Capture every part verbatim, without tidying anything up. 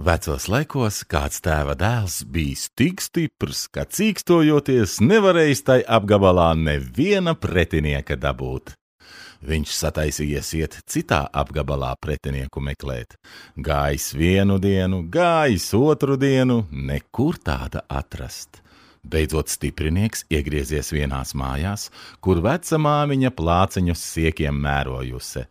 Vecos laikos kāds tēva dēls bijis tik stiprs, ka cīkstojoties nevarējis tai apgabalā neviena pretinieka dabūt. Viņš sataisījies iet citā apgabalā pretinieku meklēt. Gājis vienu dienu, gājis otru dienu, nekur tāda atrast. Beidzot stiprinieks iegriezies vienās mājās, kur veca māmiņa plāceņus siekiem mērojusi.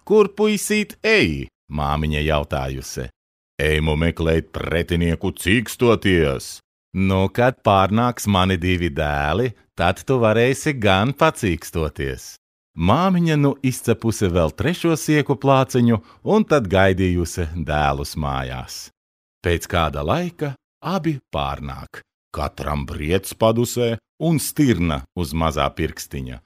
Kur puisīt ej? Māmiņa jautājusi. Ejmu meklēt pretinieku cīkstoties. Nu, kad pārnāks mani divi dēli, tad tu varēsi gan pacīkstoties. Māmiņa nu izcepusi vēl trešo sieku plāciņu un tad gaidījusi dēlus mājās. Pēc kāda laika abi pārnāk, katram briedz padusē un stirna uz mazā pirkstiņa.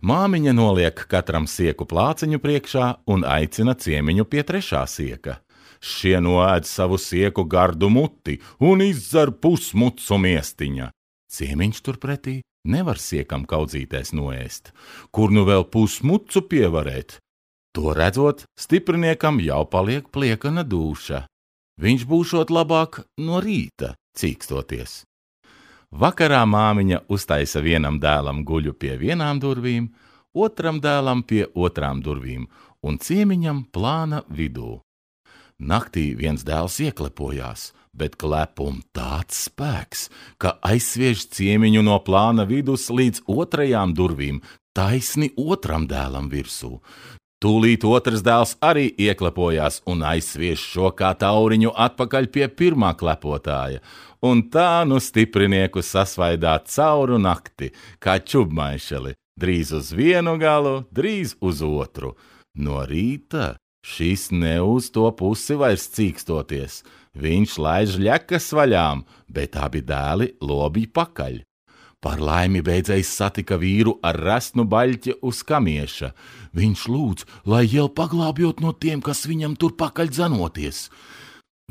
Māmiņa noliek katram sieku plāciņu priekšā un aicina ciemiņu pie trešā sieka. Šie noēd savu sieku gardu muti un izdzer pusmucu miestiņa. Ciemiņš turpretī nevar siekam kaudzīties noēst, kur nu vēl pusmucu pievarēt. To redzot, stipriniekam jau paliek pliekana dūša. Viņš būšot labāk no rīta cīkstoties. Vakarā māmiņa uztaisa vienam dēlam guļu pie vienām durvīm, otram dēlam pie otrām durvīm un ciemiņam plāna vidū. Naktī viens dēls ieklepojās, bet klepum tāds spēks, ka aizsviež ciemiņu no plāna vidus līdz otrajām durvīm, taisni otram dēlam virsū. Tūlīt otrs dēls arī ieklepojās un aizsviež šo kā tauriņu atpakaļ pie pirmā klepotāja, un tā nu stiprinieku sasvaidā cauru nakti, kā čubmaišeli, drīz uz vienu galu, drīz uz otru. No rīta šis ne uz to pusi vairs cīkstoties, viņš laiž ļekas vaļām, bet abi dēli lobī pakaļ. Par laimi beidzējs satika vīru ar resnu baļķi uz kamieša. Viņš lūdz, lai jau paglābjot no tiem, kas viņam tur pakaļ dzanoties.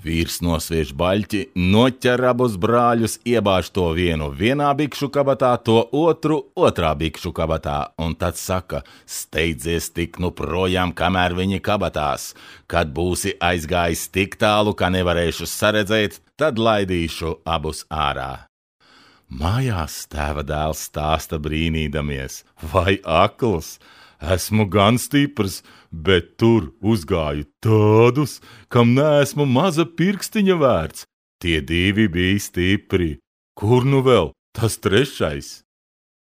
Vīrs nosviež baļķi, noķer abus brāļus, iebāž to vienu vienā bikšu kabatā, to otru otrā bikšu kabatā, un tad saka, steidzies tik nu projām, kamēr viņi kabatās. Kad būsi aizgājis tik tālu, ka nevarēšu saredzēt, tad laidīšu abus ārā. Mājās tēva dēls stāsta brīnīdamies, vai akls? Esmu gan stiprs, bet tur uzgāju tādus, kam neesmu maza pirkstiņa vērts. Tie divi bija stipri. Kur nu vēl tas trešais?